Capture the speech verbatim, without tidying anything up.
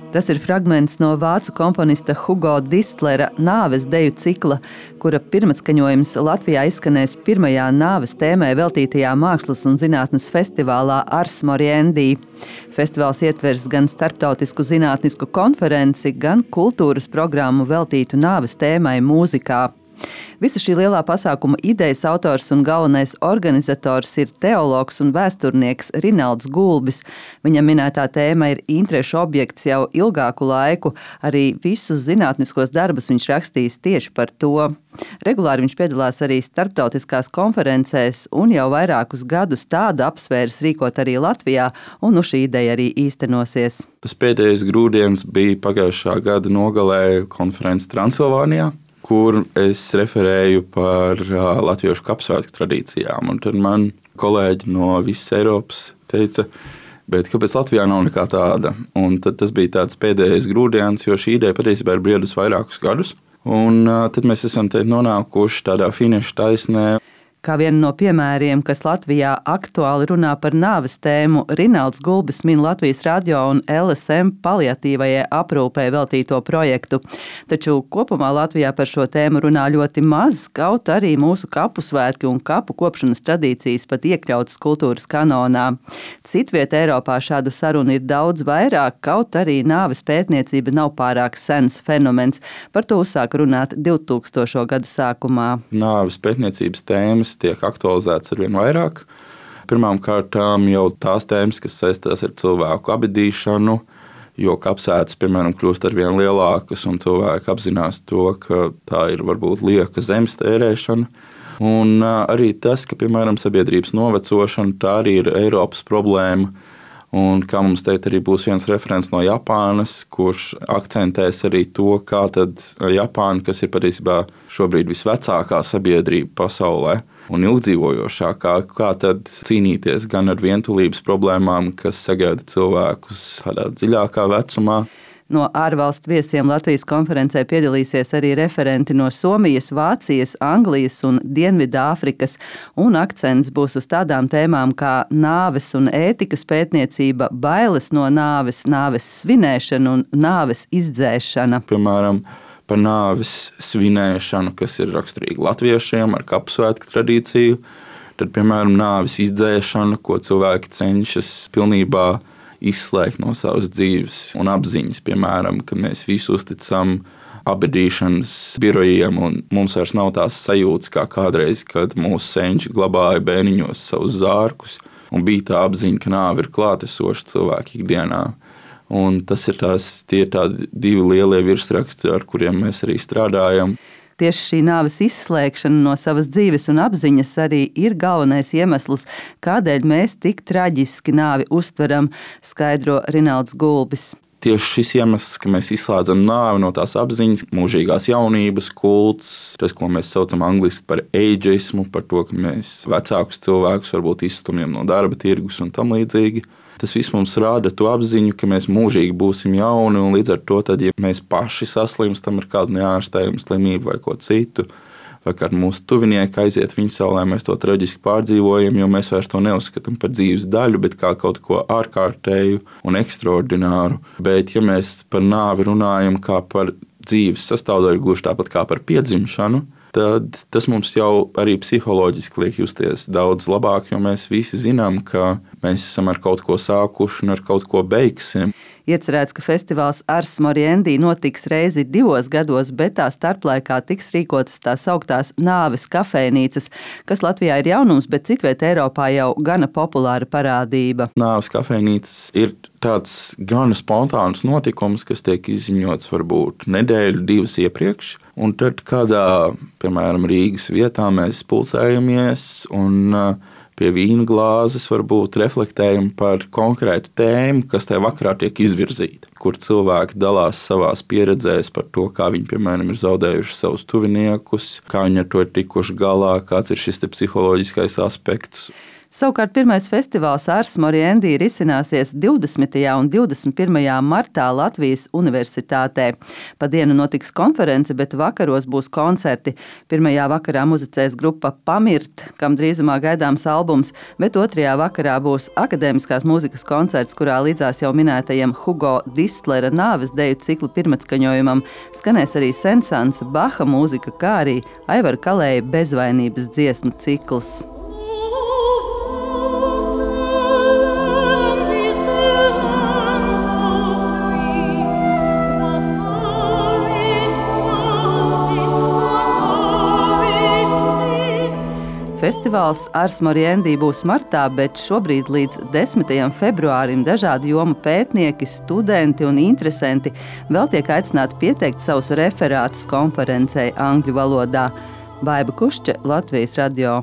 Tas ir fragments no vācu komponista Hugo Distlera nāves deju cikla, kura pirmatskaņojums Latvijā izskanēs pirmajā nāves tēmai veltītajā mākslas un zinātnes festivālā Ars Moriendi. Festivāls ietvers gan starptautisku zinātnisku konferenci, gan kultūras programmu veltītu nāves tēmai mūzikā. Visa šī lielā pasākuma idejas autors un galvenais organizators ir teologs un vēsturnieks Rinalds Gulbis. Viņam minētā tēma ir interešu objekts jau ilgāku laiku, arī visus zinātniskos darbus viņš rakstījis tieši par to. Regulāri viņš piedalās arī starptautiskās konferencēs un jau vairākus gadus tādu apsvērs rīkot arī Latvijā, un nu šī ideja arī īstenosies. Tas pēdējais grūdienis bija pagājušā gada nogalē konferences Transilvānijā, kur es referēju par uh, latviešu kapsvētku tradīcijām. Un tad man kolēģi no visas Eiropas teica, bet kāpēc Latvijā nav nekā tāda? Un tad tas bija tāds pēdējais grūdienis, jo šī ideja patiesībā ir briedus vairākus gadus. Un uh, tad mēs esam te nonākuši tādā finiša taisnē. Kā vienu no piemēriem, kas Latvijā aktuāli runā par nāves tēmu, Rinalds Gulbis min Latvijas radio un L S M paliatīvajai aprūpei veltīto projektu. Taču kopumā Latvijā par šo tēmu runā ļoti maz, kaut arī mūsu kapu svētki un kapu kopšanas tradīcijas pat iekļautas kultūras kanonā. Citviet Eiropā šādu sarunu ir daudz vairāk, kaut arī nāves pētniecība nav pārāk sens fenomens. Par to uzsāk runāt divtūkstošo gadu sākumā. Nāves pētniecības tēmas tiek aktualizētas arvien vairāk. Pirmām kārtām jau tās tēmas, kas saistās ar cilvēku abedīšanu, jo kapsētas, piemēram, kļūst arvien lielākas un cilvēki apzinās to, ka tā ir varbūt lieka zemes tērēšana. Un arī tas, ka, piemēram, sabiedrības novecošana, tā arī ir Eiropas problēma. Un kā mums teikt, arī būs viens referents no Japānas, kurš akcentēs arī to, kā tad Japāna, kas ir patiesībā šobrīd visvecākā sabiedrība pasaulē un ilgdzīvojošākā, kā tad cīnīties gan ar vientulības problēmām, kas sagaida cilvēkus tādā dziļākā vecumā. No ārvalstu viesiem Latvijas konferencē piedalīsies arī referenti no Somijas, Vācijas, Anglijas un Dienvidāfrikas, un akcents būs uz tādām tēmām kā nāves un ētikas pētniecība, bailes no nāves, nāves svinēšana un nāves izdzēšana. Piemēram, par nāves svinēšanu, kas ir raksturīgi latviešiem ar kapsvētku tradīciju, tad, piemēram, nāves izdzēšana, ko cilvēki cenšas pilnībā izslēgt no savas dzīves un apziņas, piemēram, ka mēs visu uzticam abedīšanas birojiem un mums vairs nav tās sajūtas kā kādreiz, kad mūsu senči glabāja bērniņos savus zārkus un bija tā apziņa, ka nāve ir klātesoša cilvēka ikdienā. Un tas ir tās, tie ir tādi divi lielie virsraksti, ar kuriem mēs arī strādājam. Tieši šī nāves izslēgšana no savas dzīves un apziņas arī ir galvenais iemesls, kādēļ mēs tik traģiski nāvi uztveram, skaidro Rinalds Gulbis. Tieši šis iemesls, ka mēs izslēdzam nāvi no tās apziņas, mūžīgās jaunības kults, tas, ko mēs saucam angliski par ageismu, par to, ka mēs vecākus cilvēkus varbūt izstumjam no darba tirgus un tam līdzīgi. Tas viss mums rāda to apziņu, ka mēs mūžīgi būsim jauni, un līdz ar to, tad, ja mēs paši saslimstam ar kādu neārstējumu slimību vai ko citu, vai kā mūsu tuvinieki aiziet viņa saulē, mēs to traģiski pārdzīvojam, jo mēs vairs to neuzskatām par dzīves daļu, bet kā kaut ko ārkārtēju un ekstraordināru. Bet, ja mēs par nāvi runājam kā par dzīves sastāvdaļu, gluži tāpat kā par piedzimšanu, tad tas mums jau arī psiholoģiski liek justies daudz labāk, jo mēs visi zinām, ka mēs esam ar kaut ko sākuši un ar kaut ko beigsim. Iecerēts, ka festivāls Ars Moriendi notiks reizi divos gados, bet tā starplaikā tiks rīkotas tās augtās nāves kafejnīcas, kas Latvijā ir jaunums, bet citviet Eiropā jau gana populāra parādība. Nāves kafejnīcas ir tāds gana spontāns notikums, kas tiek izziņots varbūt nedēļu, divas iepriekš, un tad kādā, piemēram, Rīgas vietā mēs pulcējamies un pie vīna glāzes varbūt reflektējam par konkrētu tēmu, kas tajā vakarā tiek izvirzīta, kur cilvēki dalās savās pieredzēs par to, kā viņi, piemēram, ir zaudējuši savus tuviniekus, kā viņi ar to ir tikuši galā, kāds ir šis te psiholoģiskais aspekts. Savukārt pirmais festivāls Ars Moriendi risināsies divdesmitajā un divdesmit pirmajā martā Latvijas Universitātē. Pa dienu notiks konference, bet vakaros būs koncerti. Pirmajā vakarā muzicēs grupa Pamirt, kam drīzumā gaidāms albums, bet otrajā vakarā būs akadēmiskās mūzikas koncerts, kurā līdzās jau minētajam Hugo Distlera nāves deju ciklu pirmatskaņojumam skanēs arī Sensans, Baha mūzika, kā arī Aivara Kalēja bezvainības dziesmu cikls. Festivāls Ars Moriendi būs martā, bet šobrīd līdz desmitajam februārim dažādu jomu pētnieki, studenti un interesanti vēl tiek aicināti pieteikt savus referātus konferencei angļu valodā. Baiba Kušķe, Latvijas radio.